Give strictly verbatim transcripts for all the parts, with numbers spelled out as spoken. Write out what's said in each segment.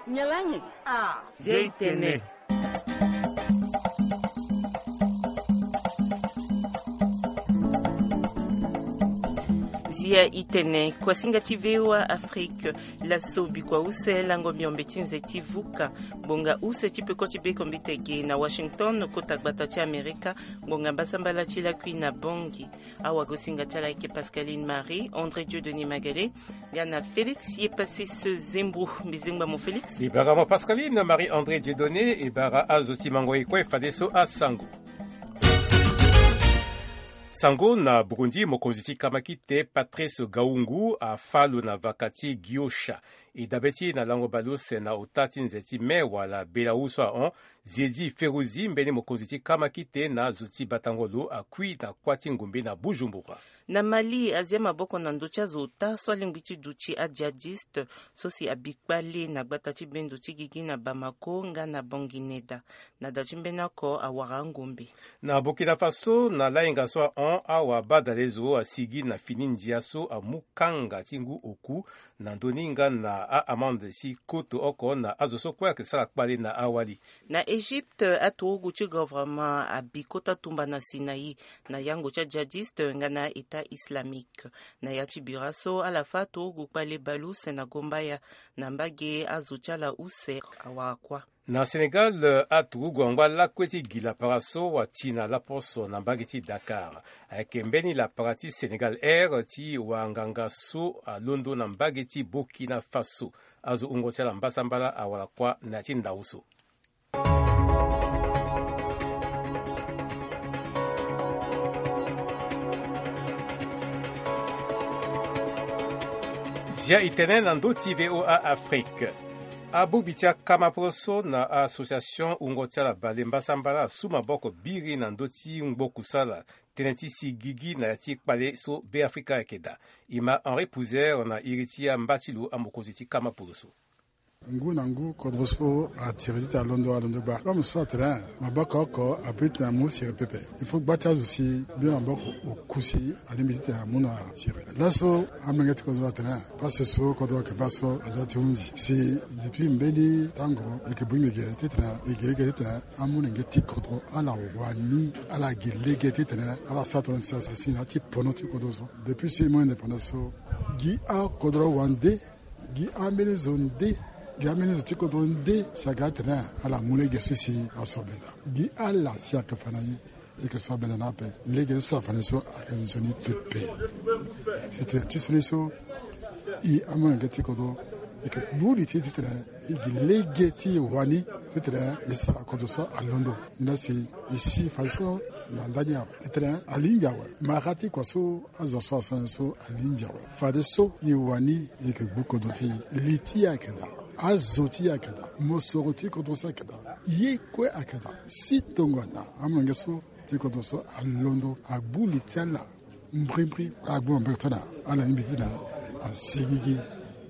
Nyalangi. Ah. Zia itene. Zia itene. Kuasinga ti V O A Afrique. Laso bikua use lango miombe ti nze ti vuka. Bonga use ti peko ti beko mbitege na Washington, kota gbata ti Amerika. Ngonga mbasambala ti lakui na Bangui. Awagosinga ti ala ayeke Pascaline Marie, André Dieudonné Magalé, nga na Félix Yepasis Zembro. Mbi zengba mo Félix. E bara mo Pascaline Marie André Dieudonné, e bara azo ti mango e kue fadeso asango. Sango na Burundi, mokonzi ti kamakite Patrice Gahungu afâ lo na vaka ti Gihosha. E dabe ti na lango baleuse na ota ti nze ti mai wala bela wu so ahon, Ziedi Feruzi mbeni mokonzi ti kamakite na azo ti batango lo akui na kuâ ti ngombe na Bujumbura. Na Mali, azia maboko na ndö ti azo ota so alingbi ti duti ajihadiste so si abi kpale na gbata ti bendo ti gigi na Bamako nga na Bangineda. Na da ti mbeni oko awara angombe. Na Burkina Faso, na lahinga so ahon, awa badalezo asigi na fini ndia so amu kanga ti ngu oku na ndö ni nga na a-amande ti koto oko na azo so kue ayeke sara kpale na awali. Na Egypte, aturugu ti gouvernement abi kota tumba na Sinaï na yango ti ajihadiste nga na État islamique. Na ya ti bira so, ala fâ aturugu kpale baleuse na gombaya na mbage azo ti ala use awara kuâ. Na Sénégal, aturugu angba lakue ti gi lapara so wati na laposo na mbage ti Dakar. Ayeke mbeni lapara ti Sénégal Air ti wanganga so alondo na mbage ti Burkina Faso. Azo wungo ti ala mbasambala awara kuâ na ya ti ndau so. Zia itene na ndö ti V O A Afrique. Abongbi ti akama poroso na association wungo ti ala bale mbasambala asu maboko biri na ndö ti ngbo kusala tënë ti si gigi na ya ti kpale so Beafrika ayeke daa. E ma Henri Pouzer na iri ti amba ti lo amokonzi ti kama poroso. Ngu na ngu kodro so atiri titene alondo alondo gba. Comme so atene maboko oko abiri titene amu siri pepe. Il faut gba ti azo si bien maboko oku si alingbi titene amu na siri. Laso amolenge ti kodro atene pase so kodro ayeke baa so adua ti hunzi si depuis mbeni tango e yeke bongbi ge titene e gi lege titene amolenge ti kodro ala wani ala gi lege titene ala sara tongana si asi na ya ti pono ti kodro so. Depuis si e mu indépendance so gi akodro wande. Gi ambeni zo nde, gi ambeni zo ti kodro nde si aga atene ala mu lege so si asoro benda. Gi ala si ayeke fa na ye e yeke soro benda na ape. Lege so afa na ye so ayeke nzoni pepe. Si tene ti so ni so e amolenge ti kodro e yeke gbu li ti e titene e gi lege ti e wani titene e sara kodro so alondo. Ni la si e si fadeso na ndani awe titene alingbi awe. Mara ti kua so azo so asara nyen so alingbi awe. Fadeso e wani e yeke gbu kodro ti e. Li ti e ayeke daa. Azo ti e ayeke daa. Mosoro ti kodro so ayeke daa. Ye kue ayeke daa. Si tongana amolenge so ti kodro so alondo agbu li ti ala mbrimbri agbu mbrimbri titene ala lingbi titene asigigi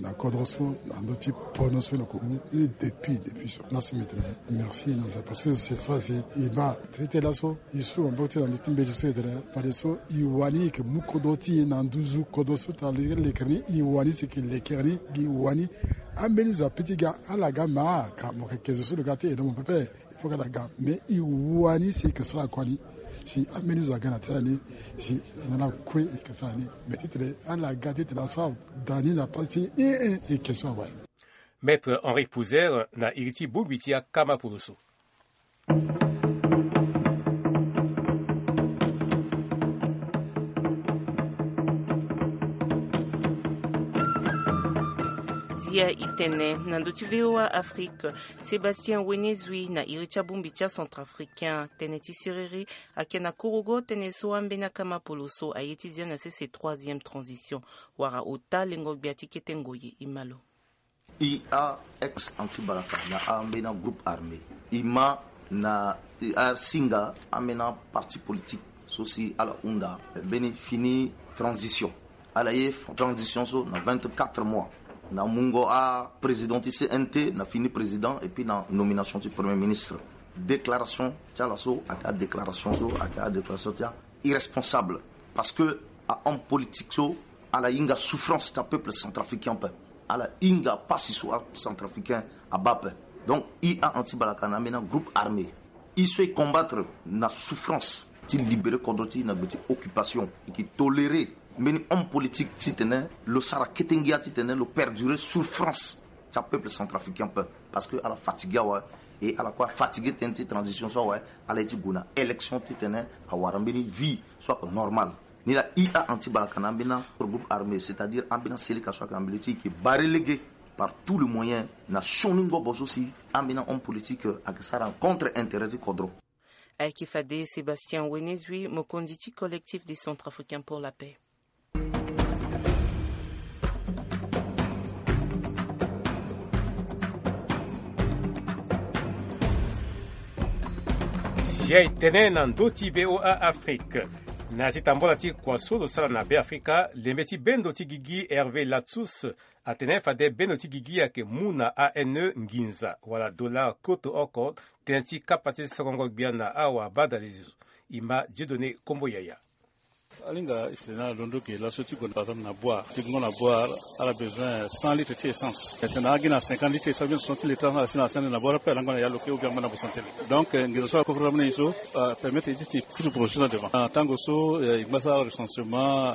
na kodro so na ndö ti pono so lo yeke mu. E depuis depuis so laso mbi tene merci na nze parce que c'est ça si e baa traité laso e su maboko ti e na ndö ti mbeti so e tene fadeso e wani e yeke mu kodro ti e na nduzu kodro so tara lo yeke lekere ni e wani si e yeke lekere ni gi wani. Ambeni zo ape ti ga ala ga ma ka mo yeke ke zo so lo ga ti e na mo pepe. Il faut que ala ga mais e wani si e yeke sara kua ni. Si ambeni zo aga na tere ni si na ala kue e yeke sara ni. Mais titene ala ga titene asara da ni na pasi ti e e e yeke so awe. Maître Henri Pouzer na iri ti bongbi ti akama poloso. Zia itene na ndö ti V O A Afrique. Sébastien Wenezui na iri ti abongbi ti acentrafricain tënë ti siriri. Ayeke na kurugo tënë so ambeni akama poloso aye ti zia na sese troisième transition. Wara ota lengo gbia ti kete ngoye e ma lo. E a ex anti balaka na ambeni agroupe armé e ma na e asinga ambeni aparti politique so si ala hunda mbeni fini transition. Ala ye transition so na vingt-quatre mois na mungo aprésident ti C N T na fini président et puis na nomination ti premier ministre. Déclaration ti ala so ayeke adéclaration so ayeke adéclaration ti a irresponsable. Parce que ahomme politique so ala hinga souffrance ti apeuple centrafricain ape. Ala hinga pasi so acentrafricain abaa ape. Donc i a anti balaka na ambeni agroupe armé, i so e combattre na souffrance ti libérer kodro ti i na gbe ti occupation, e ke tolérer mbeni homme politique titene lo sara kete ngia titene lo perdurer souffrance ti apeuple centrafricain ape. Parce que ala fatigué awe, e ala kue afatigué tënë ti transition so awe. Ala ye ti gue na élection titene awara mbeni vie so ayeke normal. Ni laa i a anti balaka na ambeni agroupe armé, c'est-à-dire ambeni aseleka so ayeke na mbele ti e, e ke barrer lege par tout le moyen na sioni ngobo so si ambeni ahomme politique ayeke sara contre intérêt ti kodro. Ayeke fade Sébastien Wenezui, mokonzi ti Collectif des Centrafricains pour la Paix. Zia e tene na ndö ti V O A Afrique. Na ya ti tambola ti kua so lo sara na Beafrika, lembe ti bendo ti gigi Hervé Latsus atene fade bendo ti gigi ayeke mu na A N E nginza wala dollar koto oko, tënë ti kapa ti sokongo gbia na awabadalezo. E ma Dieudonné Kombo Yaya. Alinga e tene na londo ge laso ti gue na bazar na boire ti gongo na boire, ala besoin cent litres ti essence. E tene na agi na cinquante litres ti essence, bien soixante litres ala si na sende na boire ape, ala ngba na ya loke ou bien ngba na bosantene. Donc nginza so akofre na mene ye so apermettre ye ti ti pusu projet na devant. Tango so e ngba sara recensement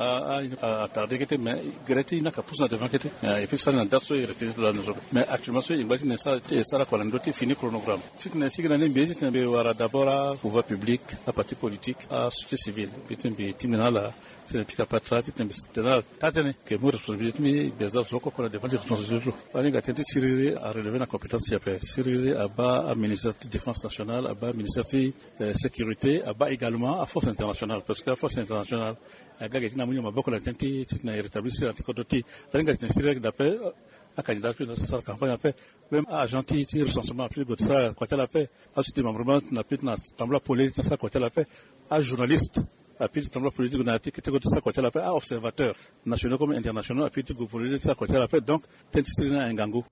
a tarde kete, mais gere ti e ni ayeke pusu na devant kete. Et puis sara na date so e retenir ti lo na zo. Mais actuellement so e ngba ti tene sara kua na ndö ti fini chronogramme. Titene sigi na ni mbi ye titene mbi wara d'abord apouvoir public, aparti politique, asociété civile, mbi tene mbi tingbi na ala titene mbi pika patara titene mbi tene ala taa tënë ke mu responsabilité ti mbi, mbi za zo oko oko na devant ti responsabilité ti lo. Alinga tënë ti siriri arelever na compétence ti e ape. Siriri abaa aministère ti défense nationale, abaa ministère ti sécurité, abaa également aforce internationale, parce que aforce internationale aga ge ti na mu ni maboko na tënë ti titene e rétablir siriri na ti kodro ti e. Alinga titene siriri ayeke daa ape, acandidat so e na sara campagne ape, même aagent ti recensement apeut ti gue ti sara kua ti ala ape. Aso ti démembrement na apeut ti na tambula pole ti na sara kua ti ala ape. Ajournaliste apeut ti tambula pole ti gue na ya ti kete gue ti sara kua ti ala ape. Aobservateurs nationaux comme internationaux apeut ti gue pole ti sara kua ti ala ape. Donc tënë ti siriri ni aye ngangu.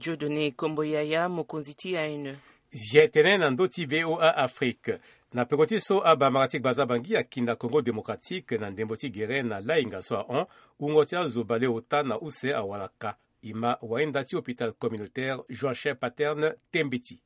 Dieudonné Kombo Yaya, mokonzi ti A N E. Zia e tene na ndö ti V O A Afrique. Na peko ti so abamara ti gbaza Bangui akina Congo Démocratique na ndembo ti gere na lainga so ahon, wungo ti azo baleota na use awalaka. E ma wainda ti hôpital communautaire Joachim Paterne Tembeti.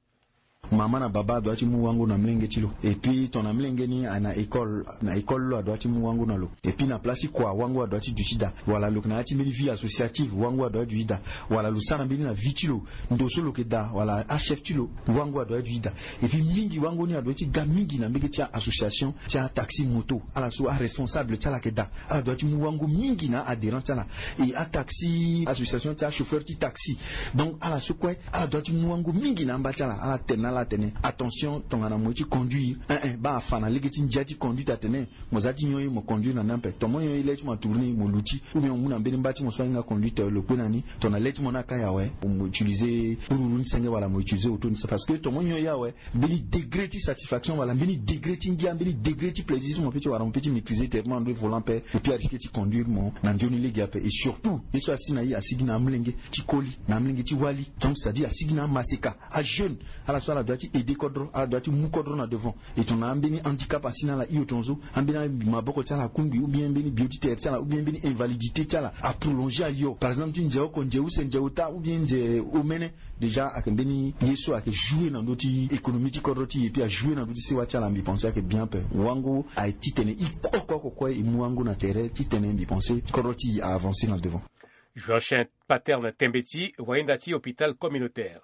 Mama na baba adua ti mu wango na mlenge ti lo. Et puis tongana mlenge ni ana école, na école lo adua ti mu wango na lo. Et puis na place ti kua wango adua ti duti daa. Wala lo yeke na ya ti mbeni vie associative, wango adua ti duti daa. Wala lo sara mbeni na vie ti lo, ndo so lo yeke daa wala achef ti lo, wango adua ti duti daa. Et puis mingi wango ni adua ti ga mingi na mbege ti a association ti ataxi moto. Ala so aresponsable ti ala yeke daa, ala dua ti mu wango mingi na adhérent ti ala. E ataxi, association ti achauffeur ti taxi. Donc ala so kue ala dua ti mu wango mingi na amba ti ala. Ala tene na ala atene attention tongana mo ye ti conduire, eh eh, baa afa na lege ti ndia ti conduite atene mo za ti nyon ye mo conduire na ni ape. Tongana mo nyon ye le ti mo atourner mo luti, ou bien mo mu na mbeni mba ti mo so ahinga conduite lo kpe na ni. Tongana le ti mo ni akai awe, mo utiliser ururu ni senge wala mo utiliser auto ni senge. Parce que tongana mo nyon ye awe, mbeni degré ti satisfaction wala mbeni degré ti ngia, mbeni degré ti plaisir so mo peut ti wara, mo peut ti maîtriser tellement ndo volant ape. Et puis arisquer ti conduire mo na nzoni lege ape. Et surtout ye so asi na i asigi na amolenge ti koli, na amolenge ti wali. Donc c'est-à-dire asigi na amaseka, ajeune. Ala so ala dua ti aider kodro, ala dua ti mu kodro na devant. Et tongana ambeni handicap asi na ala hio tongaso, ambeni maboko ti ala akungbi, ou bien mbeni bio ti tere ti ala, ou bien mbeni invalidité ti ala aprolonger ayo. Par exemple ti nze oko, nze use, nze ota, ou bien nze omene. Déjà ayeke mbeni ye so ayeke jouer na ndö ti économie ti kodro ti e, et puis ajouer na ndö ti sewa ti ala. Mbi pense ayeke bien ape. Wango aye titene i oko oko kue e mu wango na tere titene mbi pense kodro ti e a avancer na devant. Joachim Paterne Tembeti, wainda ti hôpital communautaire.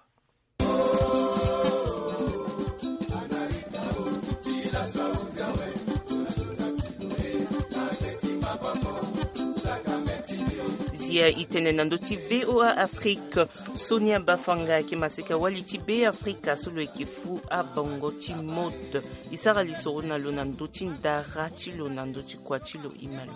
Zia e tene na ndö ti V O A Afrique. Sonia Bafanga ayeke maseka wali ti Beafrika so lo yeke fu abongo ti mode. E sara lisoro na lo na ndö ti ndara ti lo na ndö ti kua ti lo, e ma lo.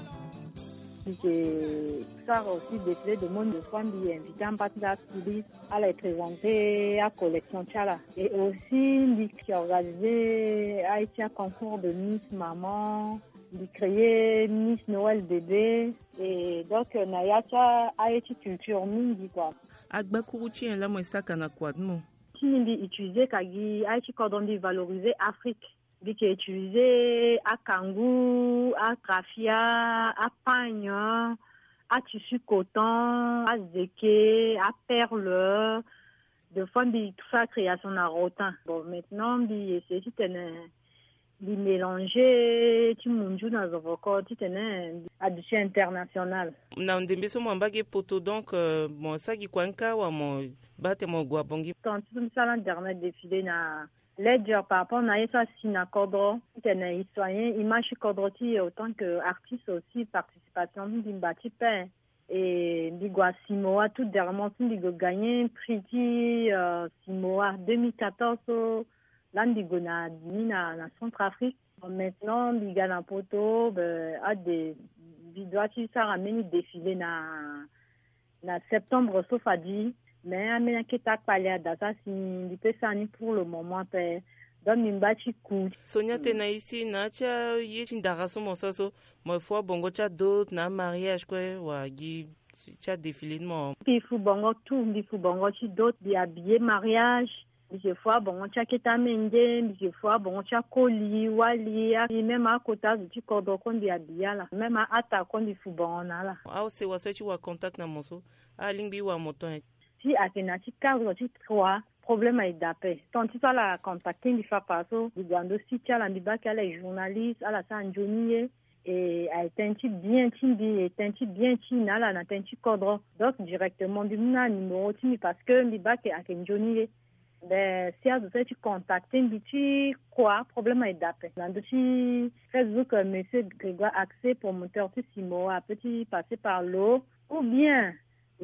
Mbi ke sara aussi défilé de mode de fois, mbi invité amba ti nda atouriste, ala e présenter acollection ti ala. Et aussi mbi ke organiser aye ti aconcours de Miss Maman, mbi créer Miss Noël Bébé. Et donc na ya ti aye ti culture mingi quoi. Agbakuru ti nyen laa mo e saka na kua ti mo? Ti ni mbi utiliser ka gi aye ti kodro, mbi valoriser Afrique. Mbi ke utiliser akangu, akrafia, apagne, Atissu coton, azeke, aperle. De fois mbi fait création na rotin. Bon, maintenant mbi essayer titene mbi mélanger ti munju na zovoko titene mbi aduti international. Na ndembe so mo amba ge poto, donc euh, mo sagi kua nka wa mo bate mo gua bongi. Tant ti so mbi sala dernier défilé na Ledger par rapport na ye so asi na kodro titene i soigner image ti kodro ti e autant que artiste aussi, participation ti mbi mba ti pe. Et mbi gue na Simoa tout dernièrement so mbi gue gagner prix ti euh, Simoa deux mille quatorze so. Là mbi gue na ni na, na Centrafrique. Bon, maintenant mbi ga na poto, ben, ade mbi doit ti sara mbeni défilé na na septembre so fadi. Mais ambeni akete akpale ada so asi mbi pe sara ni pour le moment pe. Donc mbi mba ti ku. Sonia tene na isi na ti aye ti ndara so mo sa so, mo fo abongo ti adot na amariage kue wa gi ti adéfilé ni mo? Mbi fu bongo tout, mbi fu bongo ti dot, mbi habiller mariage. Mbi si fo abongo ti akete amenge, mbi si fo abongo ti akoli wali, même akota azo ti kodro kue mbi habiller ala, même a-ata kue mbi fu bongo na ala. Asewa so ti wa contact na mo so, alingbi wa mo ton? Si ayeke na ti cadre ti trois, problème aye daa pe. Tant ti so ala contacter mbi fapa so mbi gue na ndo site ti ala, mbi bake ala journaliste, ala sara nzoni ye. E aye tënë ti bien ti mbi, e tënë ti bien ti na ala na tënë ti kodro. Donc directement mbi mu na numéro ti mbi parce que mbi bake ayeke nzoni ye. Ben si azo so aye ti contacter mbi ti kua, problème aye daa pe. Na ndo ti Facebook, euh, monsieur Grégoire Accès, promoteur ti Simoa, ape ti passer par lo. Ou bien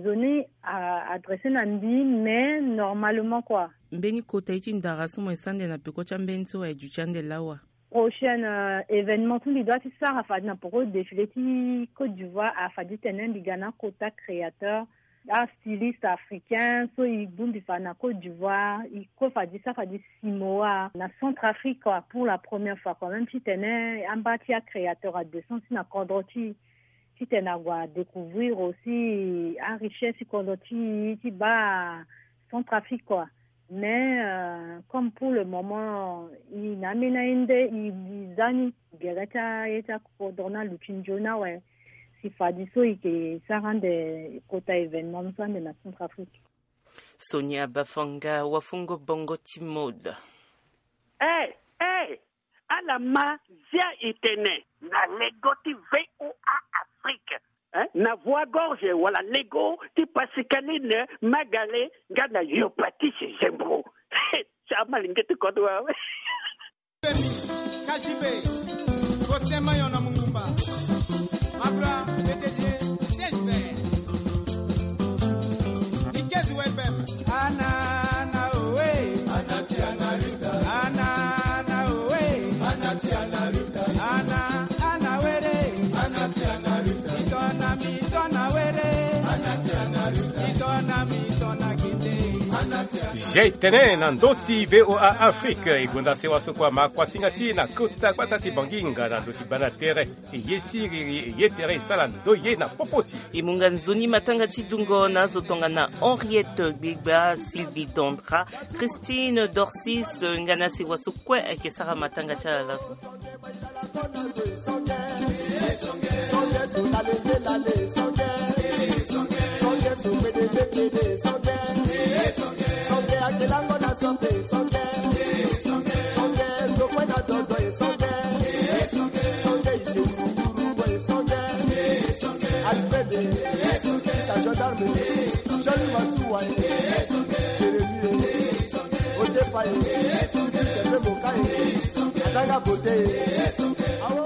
zo ni a adresser na mbi, mais normalement kua. Mbeni kota ye ti ndara so mo ye sara ande na peko ti ambeni so aye duti ande lawa? Prochaine euh, événement so mbi doit ti sara fade na peko défilé ti Côte d'Ivoire, afade titene mbi ga na akota créateur, astyliste africain so e bongbi fade na Côte d'Ivoire, e kue fade sara fade Simoa na Centrafrique kua, pour la première fois quand même titene amba ti acréateur adescend ti na kodro ti titene ague adécouvrir aussi arichesse ti kodro ti ti baa Centrafrique kua. Mais euh, comme pour le moment e na ambeni aye nde e za ni gere ti aye ti akodro na luti nzoni awe. Si fade so e ke sara ande kota événement so ande na Centrafrique. Sonia Bafanga, wafungo bongo ti mode. Eh, eh, ala ma zia e tene na lego ti V O A Afrique, eh, na voix gorge wala lego ti Pascaline Magale nga na yo Patrice Zembro. Ti amalenge ti kodro awe. K G B, Faustin Mayon na Mungumba, Mabra, P D G, Serge Vert, Ikezi Webem. Ana, ana, oe. Ana, ana, oe. Ana, ana, were. Mitona, mitona, were. Mitona, mitona, kinde. Zia e tene na ndö ti V O A Afrique, e gonda sewa so kua ma kuasinga ti e na kota gbata ti Bangi nga na ndö ti bana tere. E ye siriri, e ye tere, e sala ndoye na popo ti e. E mu nga nzoni matanga ti dungo na azo tongana Henriette Gbegba, Sylvie Dandra, Christine Dorsis, nga na sewa so kue ayeke sara matanga ti ala laso. Alfred, ta gendarme, Jean-Louis Massouane, Jérémie, Otefaye, Sylvie Kembe Mokaye, Azanga Bote.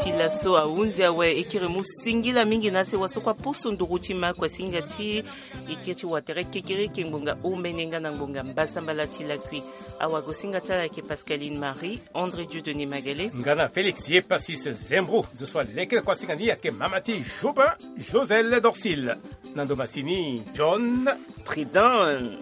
Ti laso ahunzi awe, e kiri mu singila mingi na sewa so kua pusu nduru ti ma kuasinga ti e kiri ti watere kekereke ngbonga omene nga na ngbonga mbasambala ti lakui. Awagosinga ti ala ayeke Pascaline Marie, André Dieudonné Magale. Nga na Félix Yepasis Zembro, zo so aleke na kuasinga ni ayeke mama ti Jobin, Joselle Dorsil. Na ndo masini, John Tridan.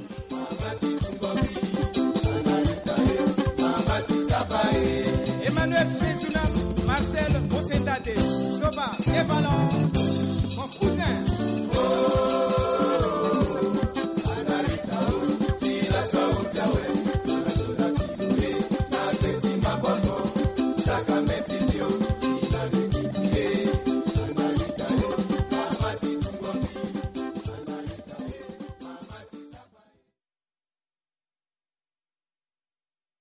Emmanuel Fezuna, Marcel Mosendade, Soba, Evalon, mon cousin.